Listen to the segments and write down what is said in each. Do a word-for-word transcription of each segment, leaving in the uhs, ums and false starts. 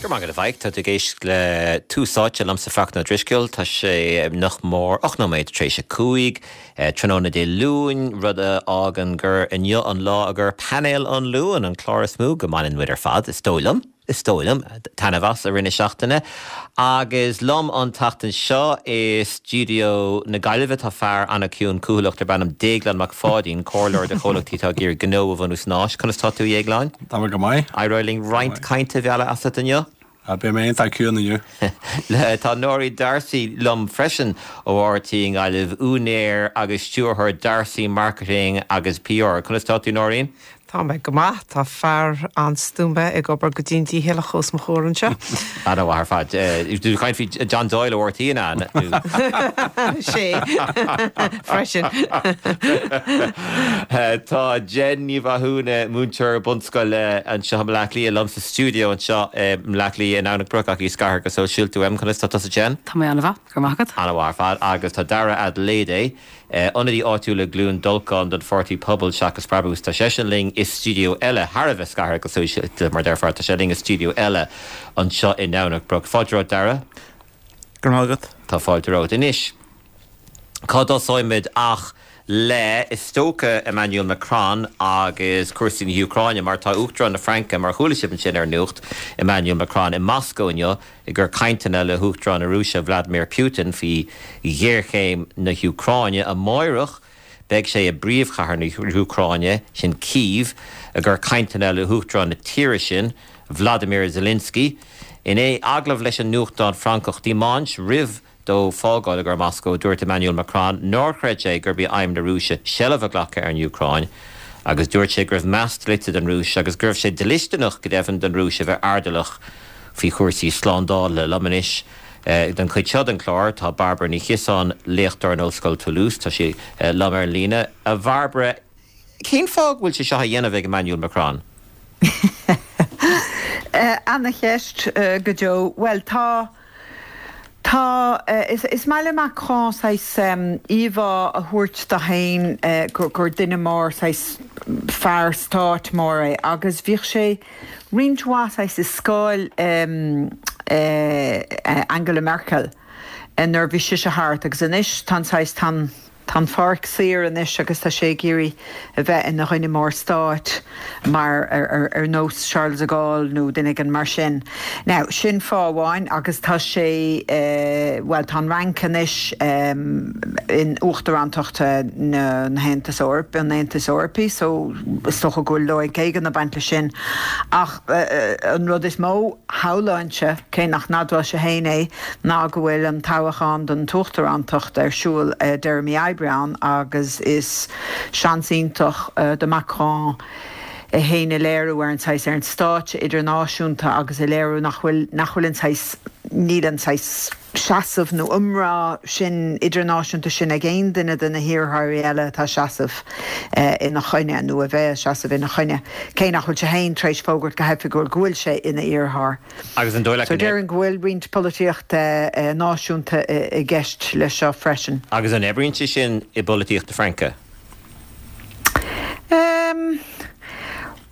Go maith a bhaid tá ag éisteacht le Tús Áite liomsa Fachtna Ó Drisceoil tá sé nach mór ocht nóiméad tar éis a cúig tráthnóna Dé Luain rud a fhágann gur inniu an lá gur painéal an Luain an clár is mó go mbaineann muid ar fad is dóigh liom. Is dóigh liom taitneamh as i rith na seachtaine agus liom an tseachtain seo i stiúideo na Gaillimhe tá fear an-chiúin cúthaileach darb ainm Déaglán Mac Pháidín comhairleoir do chomhlachtaí atá ag iarraidh gnó a bhunú san Áis conas tá tú a Dhéagláin? Tá go maith. Éireoidh linn roinnt cainte a mhealladh asat inniu? Beidh mé iontach ciúin inniu. Tá Nóirín D'Arcy liom freisin ó RTÉ i nGaillimh úinéir agus stiúrthóir D'Arcy Marketing agus PR. Conas tá tú Nóirín? Tá mé go maith tá fear an-stuama ag obair go dian dícheallach os mo chomhair anseo. An ar fad tú caint faoi John Doyle ó RTÉ an sé freisin. Tá Jen Ní Mhathúna múinteoir bunscoile anseo i mBleá Cliath liom sa stiúideo anseo Bleá Cliath in Domhnach Broc ach í scartha go sóisialta uaim conas tá tusa Jen? Tá mé an-mhaith go maith agat. An-mhaith ar fad agus tá Dara Adelédè ionadaí áitiúil i gCluain Dolcáin don Pháirtí Pobal seachas Brabús tá seisean linn i stiúideo eile thar a bheith scartha go sóisialta mar deirfear tá sé linn i stiúideo eile anseo i nDomhnach Broc. Fáilte romhat Dara? Go maith agat. Tá fáilte romhat anois. Cá dtosóimid ach le is dócha Emmanuel Macron agus cúrsaí na hÚcráine mar tá Uachtarán na Fraince mar chuala sibh ansin ar nuacht Emmanuel Macron i Moscow inniu ag cur cainteanna le hUachtarán na Rúise Vladimir Putin faoi ghéarchéim na hÚcráine amárach beidh sé i bpríomhchathair na hÚcráine sin Kyiv ag cur cainteanna le hUachtarán na tíre sin Vladimir Zelensky in é agallamh leis an nuachtán Francach Dimanche roimh dó fágáil ag Moscow dúirt Emmanuel Macron nár chreid sé gurb í aidhm na Rúise seilbh a ghlacadh ar an Úcráin agus dúirt sé go raibh meas dlite don Rúis agus go raibh sé dlisteanach go deimhin don Rúis a bheith airdeallach faoi chúrsaí slándála liom anois. Den chuid seo den chlár tá Barbara Ní Chiosáin léachtóir in Ollscoil Toulouse tá sí liom ar an líne a Bharbara cén fáth go bhfuil sé seo á dhéanamh ag Emmanuel Macron? An-cheist go deo. Well tá Tá is, is maith le Macron saghas íomhá a thabhairt dó féin gur, gur duine mór saghas fear stáit mór é agus bhíodh sé roinnt mhaith saghas i scáil um, uh, Angela Merkel nuair bhí sise thart agus anois tá saghas tá Tá an pháirc saor anois agus tá sé ag iarraidh a bheith ina dhuine mór stáit mar ar, ar, ar nós Charles de Gaulle nó duine éigin mar sin. Now sin fáth amháin agus tá sé uh, well tá an Fhrainc anois um, in uachtarántacht na, na hAontas Eorp an Aontas Eorpaigh, so is dócha go bhfuil loighic éigin ag baint le sin. Ach uh, an rud is mó shamhlóinnse cé nach n-admhódh sé féin é ná go bhfuil an toghchán don uachtarántacht ar siúl uh, deireadh mí Aibreán agus is seans iontach uh, do Macron é féin a léiriú ar an saghas ar an stáitse idirnáisiúnta agus a léiriú nach bhfuil nach bhfuil an saghas níl an saghas seasamh nó iomrá sin idirnáisiúnta sin ag aon duine de na hiarrthóirí eile atá ag seasamh uh, ina choinne nó a bheith seasamh ina choinne. Cé nach bhfuil sé féin tar éis fógairt go hoifigiúil go bhfuil sé ina iarrthóir. Agus an dóigh So déarfainn go bhfuil roinnt polaitíochta uh, náisiúnta i gceist le seo freisin. Agus an oibríonn sé sin i bpolaitíocht na Fraince? Um,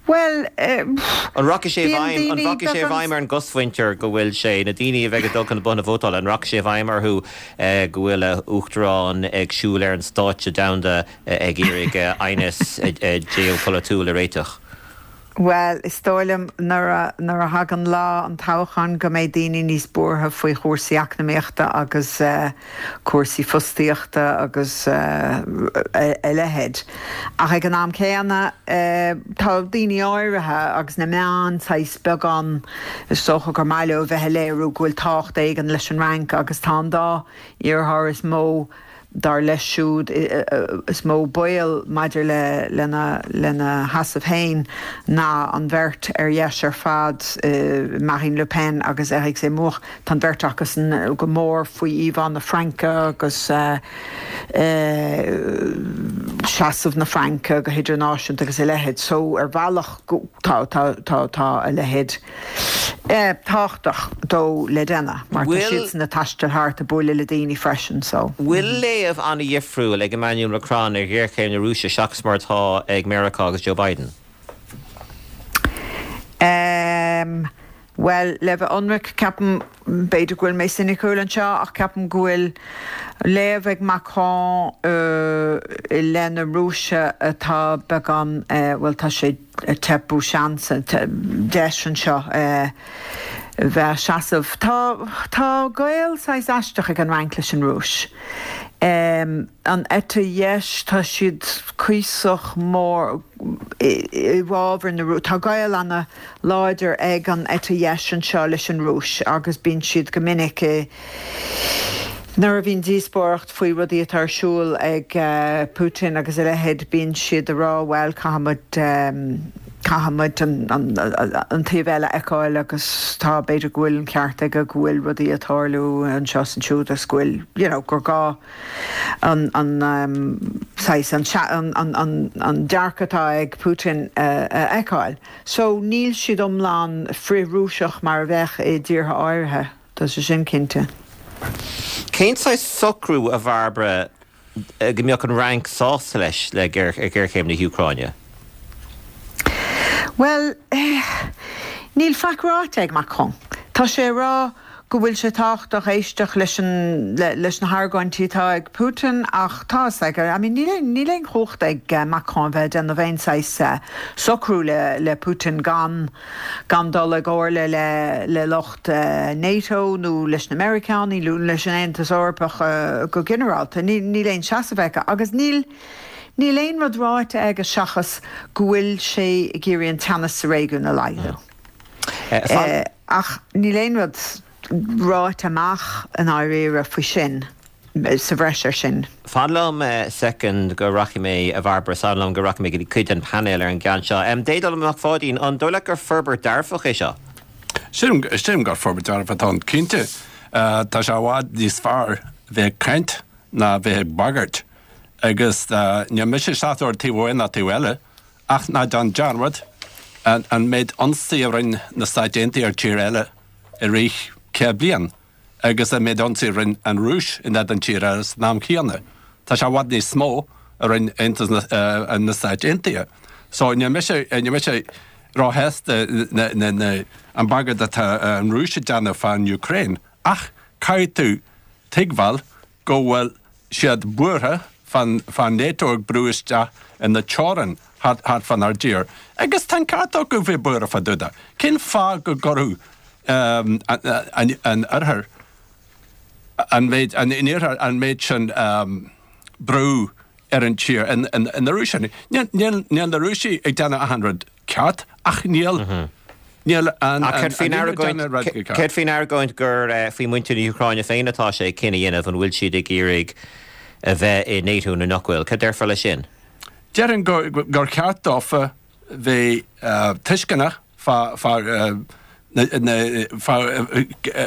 Well uh, An rachaidh sé bhfeidhm an rachaidh sé i bhfeidhm ar an gcosmhuintir go bhfuil sé na daoine a bheidh ag dul chun na botha vótála an rachaidh sé i bhfeidhm orthu go bhfuil uachtarán ag siúl ar an stáitse domhanda ag iarraidh aighneas geopholaitiúil a réiteach. Well, is dóigh liom nuair a thagann lá an toghcháin go mbeidh daoine níos buartha faoi chúrsaí eacnamaíochta agus uh, cúrsaí fostaíochta agus uh, a leithéid. Ach ag an am céanna uh, tá daoine áirithe agus na meáin saghas beagán is dócha gur maith leo bheith ag léiriú go bhfuil tábhacht éigin leis an Fhrainc agus tá an dá iarrthóir is mó dar leis siúd is mó baol maidir le lena lena sheasamh féin ná an bheirt ar dheis ar fad uh, Marine Le Pen agus Eric Zemmour tá an bheirt acu go mór faoi íomhá na Fraince agus uh, uh, seasamh na Fraince go hidirnáisiúnta agus a leithéid, so ar bhealach tá tá tá tá a leithéid eh, tábhachtach dó le déanamh mar tá siad ag taisteal thart ag bualadh le daoine freisin so. Bhfuil léamh an-difriúil ag Emmanuel Macron ar ghéarchéim na Rúise seachas mar atá ag Meiriceá agus Joe Biden. Um, Bhuel, le bheith ionraic, ceapaim, b'fhéidir go bhfuil mé soiniciúil anseo, ach ceapaim go bhfuil léamh ag Macron i leith na Rúise atá beagán, bhuel, tá sé ag teipeadh seans, deis anseo bheith ag seasamh. Tá, tá gaol saghas aisteach ag an Fhrainc leis an Rúis. An eite dheis, tá siad cuíosach mór i bhfabhar na Rúise. Tá gaol ana-láidir ag an eite dheis anseo leis an Rúis agus bíonn siad go minic i nuair a bhíonn díospóireacht faoi rudaí atá ar siúl ag Putin agus a leithéid, bíonn siad ag rá bhuel caithfimid caithfimid an taobh eile a fheiceáil agus tá b'fhéidir go bhfuil an ceart aige go bhfuil rudaí ag tarlú anseo is ansiúd agus go bhfuil you know gur gá an an saghas an an an an dearcadh atá ag Putin a fheiceáil. So níl siad iomlán frith-Rúiseach mar a bheadh i dtíortha áirithe, tá sé sin cinnte. Cén saghas socrú, a Bhairbre, go mbeadh an Fhrainc sásta leis le géarchéim na hÚcráine? Bhuel, níl faic ráite ag Macron. Tá sé ag rá go bhfuil sé tábhachtach éisteacht leis an leis na hargóintí atá ag Putin ach tá a fhios aige, I mean níl aon níl aon chumhacht ag Macron bheith ag déanamh aon saghas socrú le le Putin gan gan dul i gcomhairle le le lucht NATO nó leis na Meiriceánaigh nó leis an Aontas Eorpach go ginearálta. Níl níl aon seasamh aige agus níl níl aon rud ráite aige seachas go bhfuil sé ag iarraidh an teannas sa réigiún a laghdú. Ach níl aon rud ráite amach i ndáiríre faoi sin, sa bhreis air sin. Fan liom soicind go rachaidh mé, a Bhairbre, fan liom go rachaidh mé go dtí cuid den phainéal ar an gceann seo. Déaglán Mac Pháidín, an dóigh leat gur forbairt dearfach é seo? Sílim gur forbairt dearfach atá ann, cinnte. Tá sé i bhfad níos fearr bheith ag caint ná bheith ag bagairt. Agus níl mise sásta ar taobh amháin ná taobh eile, ach ná déan dearmad an méid ionsaí a rinne na Stáit Aontaithe ar tír eile i rith céad bliain agus an méid ionsaí a rinne an Rúis in éadan tír eile san am chéanna. Tá sé i bhfad níos mó a rinne Aontas na Stáit Aontaithe. So níl mise níl mise róshásta an bagairt atá an Rúis ag déanamh fán Ukraine ach caithfidh tú tuigbheáil go bhfuil siad buartha fán fán NATO ag brú isteach ina teorainn thart thart fánár dtír. Agus tá an ceart acu bheith buartha fá dtaobh de. Cén fáth go gcuirfeadh an an oirthear an méid an iarthar an méid sin brú ar an tír in in in na Rúis? Níl níl níl na Rúisigh ag déanamh achan rud ceart ach níl níl an Ach céard faoin argóint céard faoin argóint gur faoi mhuintir na hÚcráine féin atá sé cinneadh a dhéanamh an bhfuil siad ag iarraidh a bheith i NATO nó nach bhfuil? Cad déarfá leis sin? Déarfainn gur gur cheart dófa bheith tuisceanach fá fá na fá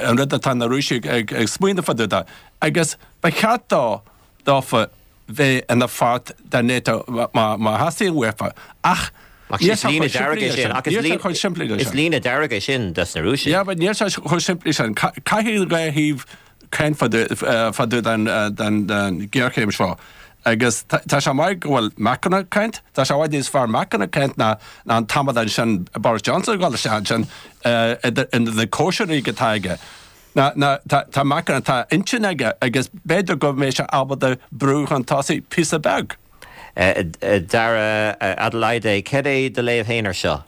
an rud atá na Rúisigh ag ag smaoineamh fá dtaobh de agus ba cheart dó dófa bheith ina pháirt de NATO má má theastaíonn uafa ach Ach níl is sé líne chomh dearg simplí é leis sin sin. ach is Níl sé líne chomh simplí leis is sin. líne dearg é sin dos na Rúisigh. Yeah, but níl sé chomh simplí sin. Caithfidh an dhá thaobh caint fá dtaobh den den den ghéarchéim seo. Agus tá sé maith go bhfuil Macron ag caint, tá sé i bhfad níos fearr Macron ag caint ná ná an t-amadán sin Boris Johnson ag dul isteach ansin idir na cóisirí atá aige. Ná ná tá tá Macron tá intinn aige agus b'fhéidir go mbeidh sé ábalta brú chun tosaigh píosa beag. Dara Adelaide, cad é do léamh féin ar seo?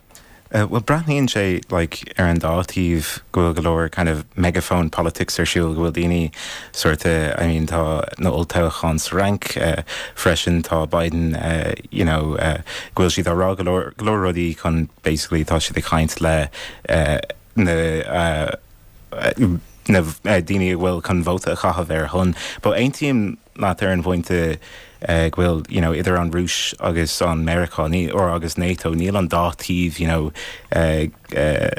Well breathnaíonn sé like ar an dá taobh go bhfuil go leor kind of megaphone politics ar siúl go bhfuil daoine sort of I mean tá na olltoghcháin sa Fhrainc uh, freisin tá Biden uh, you know uh, go bhfuil siad á rá go leor go leor rudaí chun basically tá siad ag caint le uh, na uh, na daoine a bhfuil chun vóta a chaitheamh ar shon. But aontaím leat ar an bpointe uh, go bhfuil you know, idir an Rúis agus an Meiriceá ní or agus NATO níl an dá taobh you know, uh, uh,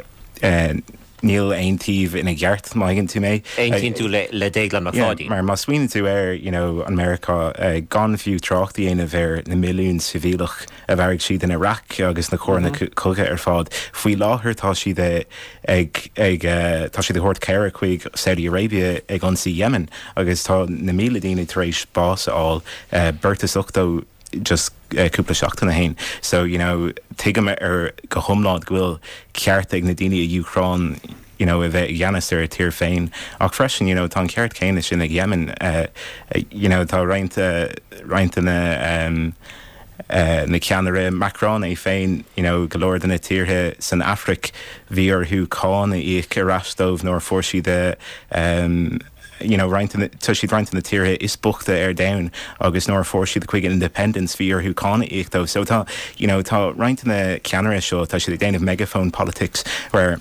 uh, níl aon taobh ina gceart má thuigeann tú mé. Aontaíonn tú le le Déaglán Mac Yeah, Pháidín. mar má smaoiníonn tú ar you know, an Meiriceá uh, gan fiú trácht a dhéanamh ar na milliún sibhialtach a mharaigh siad in Iraq agus na coireanna mm -hmm. cogaidh ar fad. Faoi láthair tá siad ag ag uh, tá siad ag tabhairt cabhair chuig Saudi Arabia ag ionsaí Yemen agus tá na míle daoine tar éis bás a fháil uh, beirt is ochtó just uh, cúpla seachtain ó shin. So you know, tuigim ar go hiomlán go bhfuil ceart ag na daoine i Úcráin you know, a bheith i gceannas ar a tír féin ach freisin you know, tá an ceart céanna sin ag Yemen uh, uh, you know, tá roinnt uh, roinnt na um, uh, na ceannaire Macron é féin you know, go leor de na tíortha san Afraic bhí orthu cáin a íoc ar ais dóibh nuair a fuair siad um, you know, roinnt tá siad roinnt na tíortha is boichte ar domhan agus nuair a fuair siad chuig independence bhí orthu cáin a íoc dóibh. So tá you know, tá roinnt na ceannaire seo tá siad ag déanamh megaphone politics where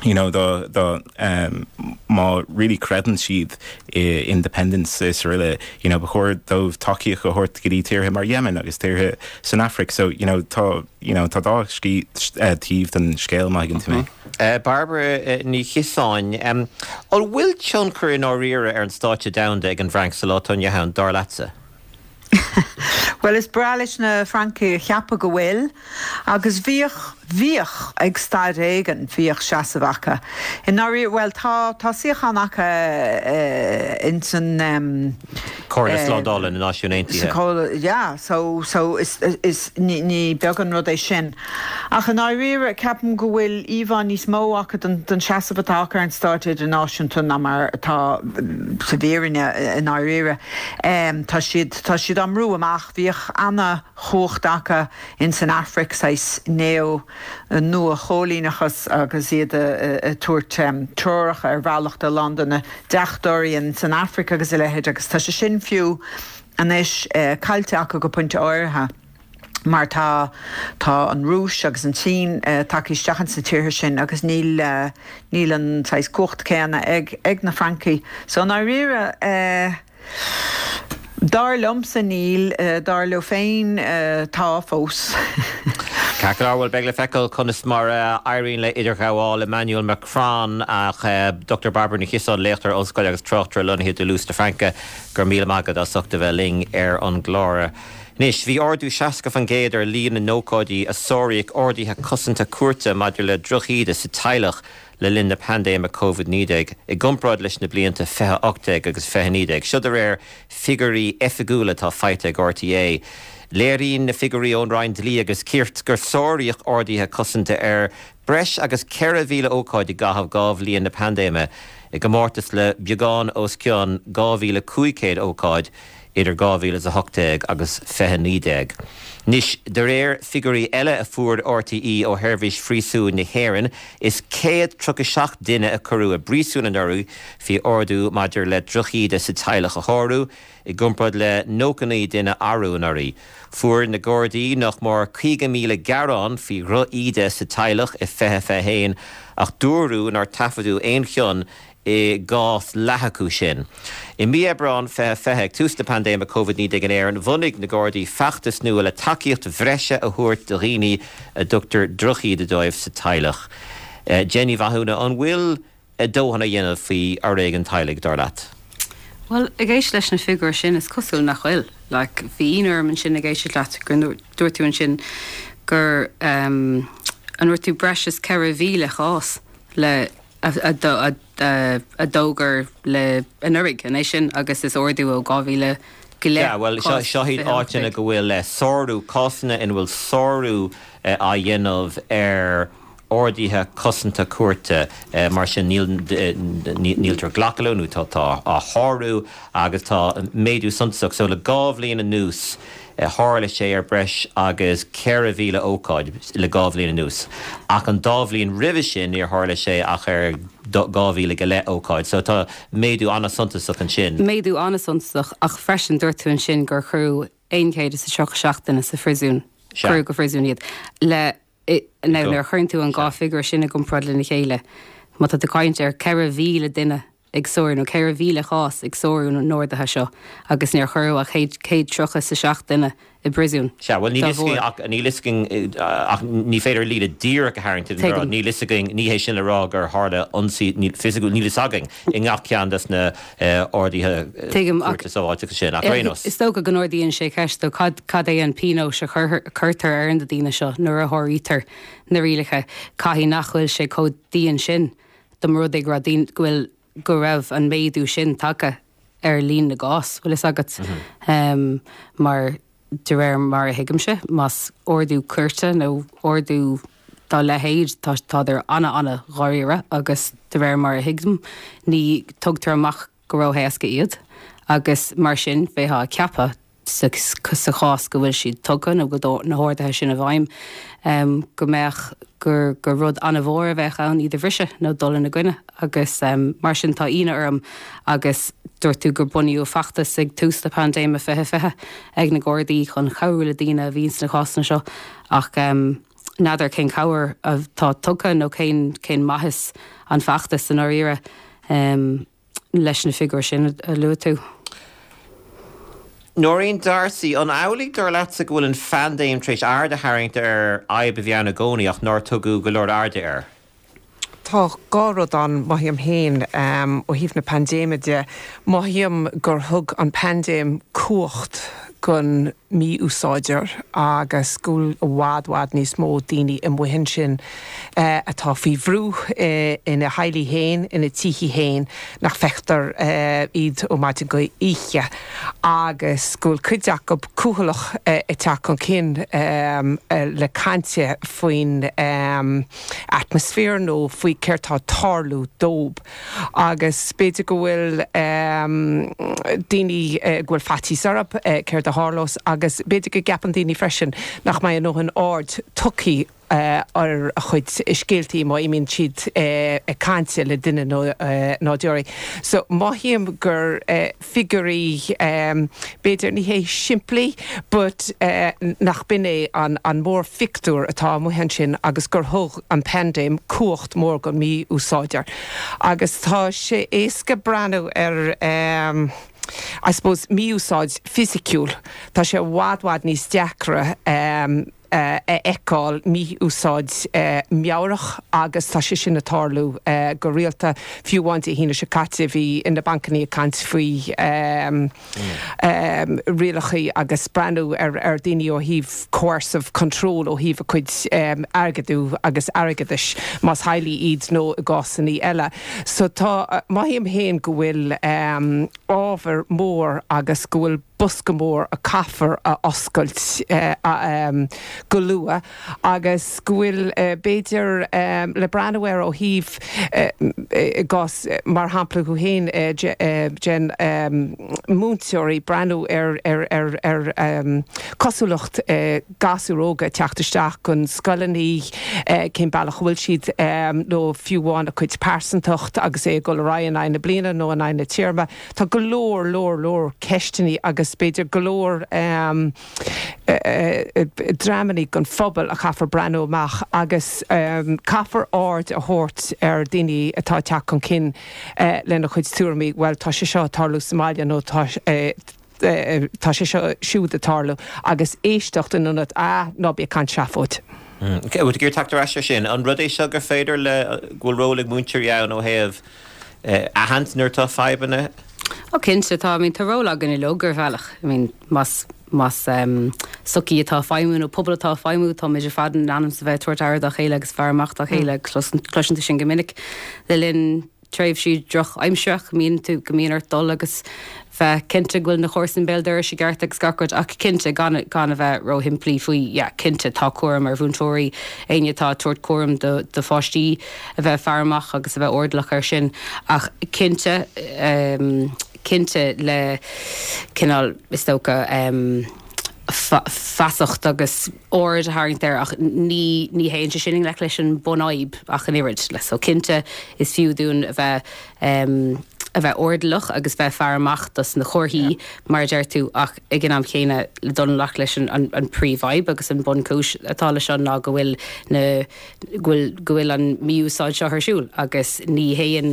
you know the the um má really creideann siad i independence is really you know ba chóir dóibh tacaíocht a thabhairt go dtí tíortha mar Yemen agus tíortha san Afraic so you know tá you know tá dá scí uh, taobh den scéal má thuigeann tú mé. Uh, Barbara uh, Ní Chiosáin, um, an bhfuil tionchar i ndáiríre ar an stáitse domhanda ag an bhFrainc sa lá atá inniu ann dar leatsa? Well is breá leis na Francaigh a cheapadh go bhfuil, agus bhíodh bhíodh ag staid éigin bhíodh seasamh acu. I ndáiríre well tá tá suíochán acu uh, in san um, Comhairle Slándála na Náisiún Aontaithe. Yeah, so so is is ní ní beag an rud é sin. Ach i ndáiríre ceapaim go bhfuil íomhá níos mó acu den den seasamh atá acu ar an stáitse idirnáisiúnta ná mar atá sa bhfírinne i ndáiríre. Um, tá siad tá siad á mbrú amach bhíodh an-chumhacht acu in san Afraic saghas neo nua-choilíneachas agus iad ag tabhairt um, treoracha ar bhealach do lán de na deachtóirí in san Afraic agus a leithéid agus tá sé sin fiú anois uh, caillte acu go pointe áirithe. Mar tá tá an Rúis agus an tSín uh, tagtha isteach sa tíortha sin agus níl uh, níl an saghas cumhacht céanna ag ag na Francaigh. So i ndáiríre uh, Dar liomsa níl uh, dar leo féin uh, tá fós. Ceart go leor bhuel beidh le feiceáil conas mar uh, éiríonn le idirghabháil Emmanuel Macron ach uh, Dr Barbara Ní Chiosáin léachtóir ollscoile agus tráchtaire lonnaithe i Toulouse na Fraince go raibh míle maith agat as ucht a bheith linn ar an gclár. Anois, bhí ardú seasca faoin gcéad ar líon na n-ócáidí a sáraíodh orduithe cosanta cúirte maidir le drochíde sa teaghlach le linn na paindéime COVID naoi déag i gcomparáid leis na blianta fiche ocht déag agus fiche naoi déag. Seo de réir figiúirí oifigiúla atá faighte ag RTÉ. Léiríonn na figiúirí ón Roinn Dlí agus Cirt gur sáraíodh orduithe cosanta ar breis agus ceithre mhíle ócáid i gcaitheamh dhá bhliain na paindéime i gcomórtas le beagán os cionn dhá mhíle cúig chéad ócáid idir dhá mhíle a hocht déag agus fiche naoi déag. Anois de réir figiúirí eile a fuair RTÉ ó Sheirbhís Phríosúin na hÉireann is céad tríocha seacht duine a cuireadh i bpríosún anuraidh faoi ordú maidir le drochíde sa teaghlach a shárú i gcomparáid le nócha naoi duine arú anuraidh. Fuair na Gardaí nach mór caoga míle gearán faoi dhrochíde sa teaghlach i fiche fiche haon ach dúradh nár taifeadadh aon chion i gcás leath acu sin. I mí Aibreán fiche fiche ag tús na paindéime Covid naoi déag in Éirinn bhunaigh na Gardaí feachtas nua le tacaíocht bhreise a thabhairt do dhaoine a dtugtar drochíde dóibh sa teaghlach. Uh, Jenny Mhathúna an bhfuil a dóthain á dhéanamh faoi fhoréigean teaghlaigh dar leat. Well ag éisteacht leis na figiúirí sin is cosúil nach bhfuil, like, bhí orm ansin ag éisteacht leat gur dúirt tú ansin gur um, an dúirt tú breis is ceithre mhíle chás le a, a, a, a, a d'fhógair le anuraidh an é sin agus is ardú ó dhá mhíle go leith. Yeah, well seo seo iad áiteanna go bhfuil le sárú cásanna ina bhfuil sárú eh, á dhéanamh ar orduithe cosanta cúirte eh, mar sin níl eh, níltear glacadh leo nó tá tá á shárú agus tá méadú suntasach so le dhá bhliain anuas eh, tharla sé ar breis agus ceithre mhíle ócáid le dhá bhliain anuas. Ach an dá bhliain roimhe sin níor tharla sé ach ar dhá mhíle go leith ócáid, so tá méadú an-suntasach ansin. Méadú an-suntasach ach freisin dúirt tú ansin gur cuireadh aon chéad is a tríocha seacht duine sa phríosún. Cuireadh go phríosún iad le now nuair a chuireann tú an dhá figiúr sin i gcomparáid lena chéile. Má tá tú ag caint ar ceithre mhíle duine ag sárú nó ceithre mhíle chás ag sárú na n-orduithe seo agus níor cuireadh ach céad tríocha is a seacht duine i bpríosún. Sea, well níl ach níl ach ní féidir líne díreach a tharraingt níl fhios againn ní hé sin le rá gur tharla ionsaí fisiciúil níl fhios againn i ngach ceann des na orduithe sábháilteachta sin ach ar aon nós. Is dócha go n-ardaíonn sé ceist do cad cad é an pionós a chuirtear ar na daoine seo nuair a sháraítear na rialacha caithfidh nach bhfuil sé chomh dian sin dá mba rud é go raibh go bhfuil go raibh an méadú sin tagtha ar líon na gcás, bhfuil fhios agat um, mar de réir mar a thuigimse, más ordú cúirte nó ordú dá leithéid tá tádar ana ana dháiríre agus de réir mar a thuigim ní tugtar amach go ró-éasca iad agus mar sin bheifeá ag ceapadh sa sa chás go bhfuil siad tugtha nó go na horduithe sin i bhfeidhm um, go mbeadh gur gur rud an-mhór a bheadh ann iad a bhriseadh nó dul ina gcoinne agus um, mar sin tá ionadh orm agus dúirt tú gur bunaíodh feachtas ag tús na paindéime fiche fiche ag na Gardaí chun cabhrú le daoine a bhíonn sna cásanna seo ach um, n'fheadar cén cabhair atá tugtha nó cén cén maitheas an feachtas san áirithe um, leis na figiúir sin a luaigh tú. Nóirín D'Arcy an amhlaidh dar leatsa go bhfuil an phaindéim tar éis aird a tharraingt ar fhadhb a bhí ann i gcónaí ach nár tugadh go leor airde air. Tá dhá rud ann mothaím féin um, ó thaobh na paindéime de, mothaím gur thug an paindéim cumhacht gon mí-úsáideoir agus go bhfuil i bhfad bhfad níos mó daoine amuigh ansin eh, atá faoi bhrú eh, ina dteaghlaigh féin ina dtithe féin nach bhfeictear eh, iad ó maidin go oíche agus go bhfuil cuid acu cúthaileach eh, ag teacht chun cinn um, eh, le caint faoin um, atmaisféar nó faoi céard atá ag tarlú dóibh agus b'fhéidir go bhfuil um, daoine uh, go bhfuil faitíos orthu uh, céard a tharlós agus b'fhéidir go gceapann daoine freisin nach mbeidh a ndóthain aird tugtha uh, ar a chuid scéaltaí má imíonn siad uh, ag caint le duine nó uh, nádúraí. So mothaím gur uh, figiúirí um, b'fhéidir ní hé simplí, but uh, nach b'in é an, an mórphictiúr atá amuigh ansin agus gur thug an paindéim cumhacht mór gon mí-úsáideoir. Agus tá sé éasca breathnú ar um, I suppose mí-úsáid fisiciúil Tá sé i bhfad bhfad níos deacra um, uh, a fheiceáil mí-úsáid uh, meabhrach agus tá sé sin ag tarlú uh, go rialta fiú amháin Dé hAoine seo caite bhí na bancanna ag caint faoi um, um, rialacha agus breathnú ar ar daoine ó thaobh coercive control ó thaobh a cuid um, airgeadú agus airgeadais más teaghlaigh iad nó i gcásanna eile. So tá mothaím féin go bhfuil um, ábhar mór agus go bhfuil bosca mór a caithfear a oscailt uh, um, go luath agus go bhfuil uh, b'fhéidir um, le breathnú ar ó thaobh uh, gás mar shampla go haon uh, den um, múinteoirí breathnú ar ar ar ar um, cosúlacht uh, gasúir óga teacht isteach chun scoileanna uh, cén bealach bhfuil siad um, nó fiú amháin a cuid pearsantacht agus é go ra an na bliana nó an na téarma Tá go leor leor leor ceisteanna agus b'fhéidir go leor um, dreamanna gon phobal a chaithfear breathnú amach agus um, caithfear aird a thabhairt ar daoine atá teacht chun cinn uh, lena chuid tuairimí, well tá sé seo tarlú sa mbaile nó tá uh, tá sé seo siúd ag tarlú agus éisteacht in ionad a ná bí ag caint seafóid. Bhfuil gur tagtar eis sin an rud é seo gur féidir le go bhfuil ról ag múinteoirí ann ó thaobh aithint nuair atá fadhbanna? Ó cinnte tá I mean, tá ról againn uilig ar bhealach. I mean, más más um, sochaí atá ag feidhmiú nó pobal atá ag feidhmiú tá muid ar fad in ainm is a bheith tabhairt aire dá chéile agus faire amach dá chéile cloiseann tú sin go minic le linn tréimhsí drochaimsire mín tú go mbíonn ort dul agus bheith cinnte go bhfuil na comharsain béal dorais i gceart agus gach rud ach cinnte gan gan a bheith róshimplí faoi yeah, cinnte tá cúram ar mhúinteoirí éinne atá ag tabhairt cúram do, do pháistí a bheith faire amach agus a bheith airdeallach ar sin ach cinnte um, cinnte le cineál is dócha um, feasacht agus aird a tharraingt air ach ní ní théann sé sin le leis an bunfhadhb ach an oiread le so cinnte is fiú dúinn a bheith um, a bheith airdeallach agus bheith faire amach dos na comharthaí mar deir tú ach ag an am céanna le dul leis leis an, an, an príomhfhadhb agus an bunchúis atá leis an ná go bhfuil na go bhfuil an mí-úsáid seo ar siúl agus ní théann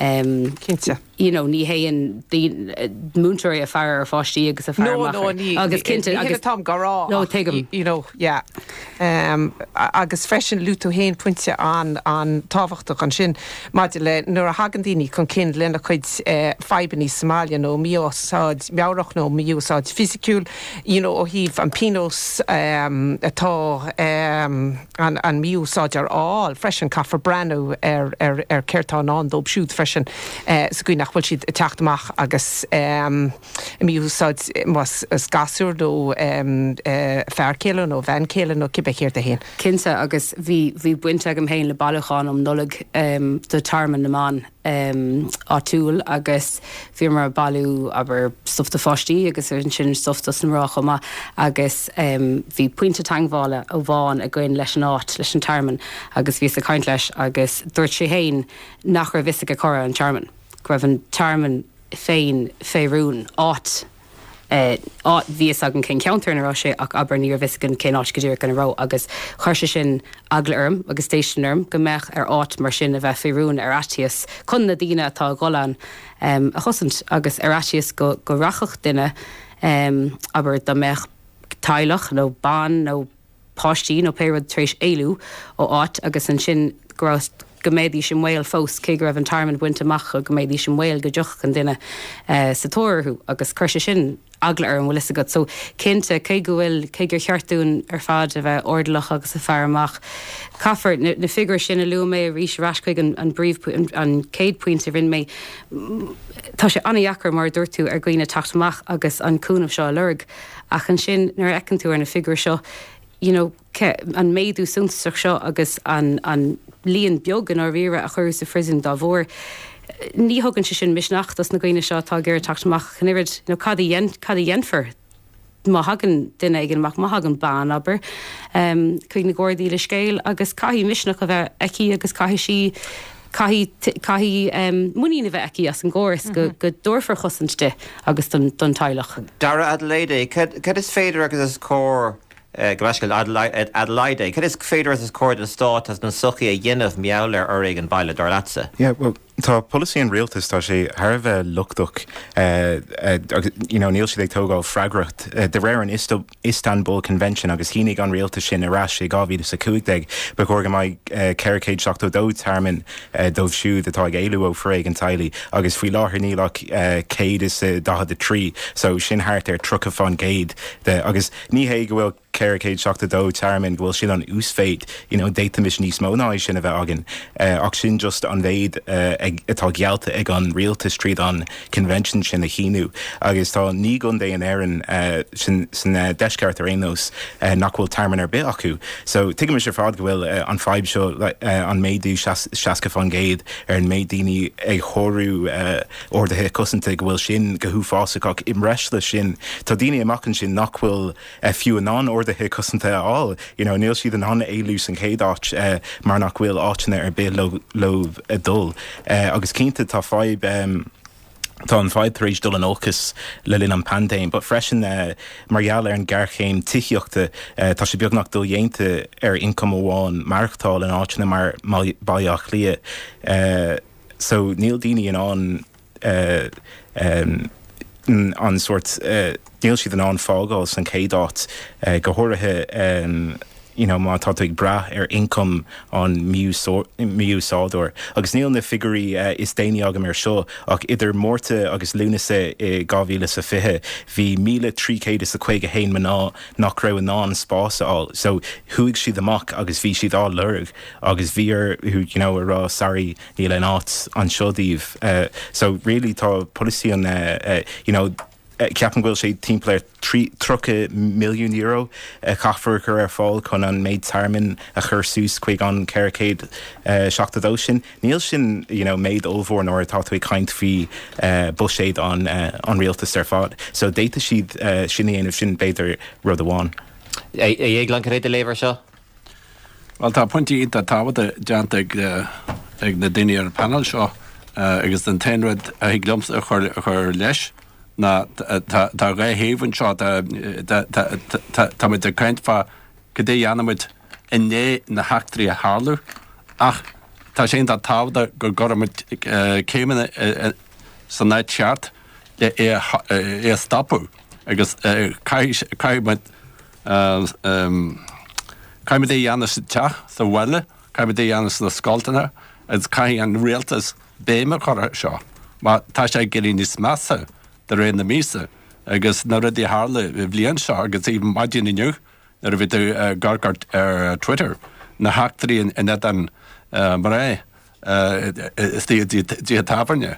um, Cinnte. you know, ní théann múinteoirí ag faire ar pháistí agus ag faire No, no, ní agus cinnte agus táim ag rá No, tuigim. you know yeah um, agus freisin luaigh tú féin pointe an an tábhachtach ansin maidir le nuair a thagann daoine chun cinn lena chuid fadhbanna sa mbaile nó mí-úsáid meabhrach nó mí-úsáid fisiciúil, you know, ó thaobh an pionós um, atá um, an, an mí-úsáideoir a fháil freisin caithfear breathnú ar, ar, ar céard atá i ndán dóibh siúd freisin uh, sa gcaoi nach bhfuil siad ag teacht amach agus um, mí-úsáid más is gasúr nó um, uh, fear céile nó bean chéile nó cibé céard é féin. Cinnte agus bhí bhí baint agam féin le bailiúchán um Nollaig um, do Tearmann na mBan um, áitiúil agus bhíomar ag bailiú abair stuff do pháistí agus ansin stuff dos na mná chomh maith agus um, bhí pointe teagmhála amháin againn leis an áit leis an tearmann agus bhíos ag caint leis agus dúirt sé féin nach raibh fhios aige cá raibh an tearmann. Go raibh an tearmann féin fé rún áit Eh, bhí fhios againn cén ceantar ina raibh sé ach abair ní raibh fhios againn cén áit go díreach ina raibh agus chuir sé sin eagla orm agus déistin orm go mbeadh ar áit mar sin a bheith fé rún ar fhaitíos chun na daoine atá ag dul ann um, a chosaint agus ar fhaitíos go, go rachadh duine um, abair dá mbeadh teaghlach nó bean nó páistí nó pé rud tar éis éalú ó áit agus ansin go raibh go mbeidís i mbaol fós cé go raibh an tearmann bainte amach go mbeidís i mbaol go dtiocfadh an duine uh, sa tóir orthu agus chuir sé sin eagla orm bhfuil fhios agat so cinnte cé go bhfuil cé gur cheart dúinn ar fad a bheith airdeallach agus ag faire amach. Caithfear na, na figiúirí sin a luaigh mé arís ar ais chuig an, an bpríomh an, an chéad phointe a rinne mé Tá sé an-deacair mar a dúirt tú ar dhaoine teacht amach agus an cúnamh seo a lorg ach ansin nuair a fheiceann tú ar na figiúirí seo you know, an méadú suntasach seo agus an, an líon beag in áirithe a chuir sa phríosún dá bharr. Ní thugann sé sin misneach dos na daoine seo atá ag iarraidh teacht amach an oiread nó cad cad a dhéanfar má thagann duine éigin amach má thagann bean abair um, chuig na Gardaí le scéal agus caithfidh misneach a bheith aici agus caithfidh sí caithfidh um, muinín a bheith aici as an gcóras mm -hmm. go, go dtabharfar cosaint di agus don, don teaghlach. Dara Adelaide, cad is féidir agus is cóir Eh, go Adelaide, Cad is féidir is cóir don stát agus don tsochaí a dhéanamh mar gheall ar fhoréigean baile dar leatsa. Yeah, well, tá polasaí an rialtais tá sé thar a bheith lochtach uh, uh, you know, níl siad ag tógáil freagracht uh, de réir an Istanbul Convention agus shínigh an rialtas sin ar ais i dhá mhíle is a cúig déag ba chóir go mbeadh ceithre chéad seachtó dó tearmann dóibh siúd atá ag éalú ó foréigean teaghlaigh agus faoi láthair níl ach céad is daichead a trí so sin thart ar tríocha faoin gcéad agus ní hé go bhfuil ceithre chéad seachtó dó tearmann go bhfuil sin an uasmhéid you know, d'fhéadfaimis níos mó ná sin a bheith againn uh, ach sin just an mhéid uh, atá geallta ag an rialtas tríd an convention sin a shíniú agus tá naoi gcontae in Éirinn uh, sin san uh, deisceart ar aon nós uh, nach bhfuil tearmann ar bith acu. So tuigim ar fad go bhfuil uh, an fhadhb seo uh, an méadú seasca faoin gcéad ar an méid daoine ag shárú uh, orduithe cosanta go bhfuil sin go huafásach ach i mbreis leis sin tá daoine amach ansin nach bhfuil uh, fiú in ann orduithe cosanta a fháil you know, níl siad in ann éalú san chéad áit uh, mar nach bhfuil áiteanna ar bith leo, leo a dul. Uh, agus cinnte tá fadhb um, Tá an fhadhb tar éis dul in olcas le linn an paindéim, but freisin uh, mar gheall ar an géarchéim tithíochta uh, tá sé beagnach dodhéanta ar ioncam amháin maireachtáil in áiteanna mar Baile Átha Cliath. Uh, so níl daoine in ann uh, um, an sort uh, níl siad in ann fágáil san chéad áit uh, go háirithe um, you know, má tá tú ag brath ar ioncam an mí-úsáideoir. Agus níl na figiúirí uh, is déanaí agam ar seo ach idir Márta agus Lúnasa i dhá mhíle is a fiche bhí míle trí chéad is a caoga haon mná nach raibh in ann spás a fháil. So chuaigh siad amach agus bhí siad á lorg agus bhí orthu you know, a rá sorry níl aon áit anseo daoibh. Uh, so really tá polasaí an uh, uh, you know, ceapaim go bhfuil sé timpeall ar tríocha milliún euro caithfear chur ar fáil chun an méid tearmann a chur suas chuig an ceithre chéad seachtó dó sin. Níl sin you know, méid ollmhór nuair atá tú ag caint faoi uh, buiséad an, uh, an rialtas ar fad. So d'fhéadfadh siad uh, sin a dhéanamh sin b'fhéidir rud amháin. A Dhéagláin cad é do léamh air seo? Well tá pointí iontach tábhachtacha déanta ag ag na daoine ar an panel seo agus den t-aon rud a thig liomsa a chur a chur leis ná tá dhá thaobh anseo tá muid ag caint fá cad é a dhéanaimid i ndiaidh na heachtraí a tharlú ach tá sé iontach tábhachtach go gcuirimid céimeanna san áit cheart le é é a stopadh agus caithfimid caithfimid é a dhéanamh sa teach sa bhaile, caithfimid é a dhéanamh sna scoileanna agus caithfidh an rialtas béim a chur air seo. Mar tá sé ag éirí níos measa de réir na míosa agus na rudaí a tharla an bhliain seo agus even maidin inniu nuair a bhí tú ag amharc ar Twitter, na heachtraí in éadan mná istigh i dtithe tábhairne.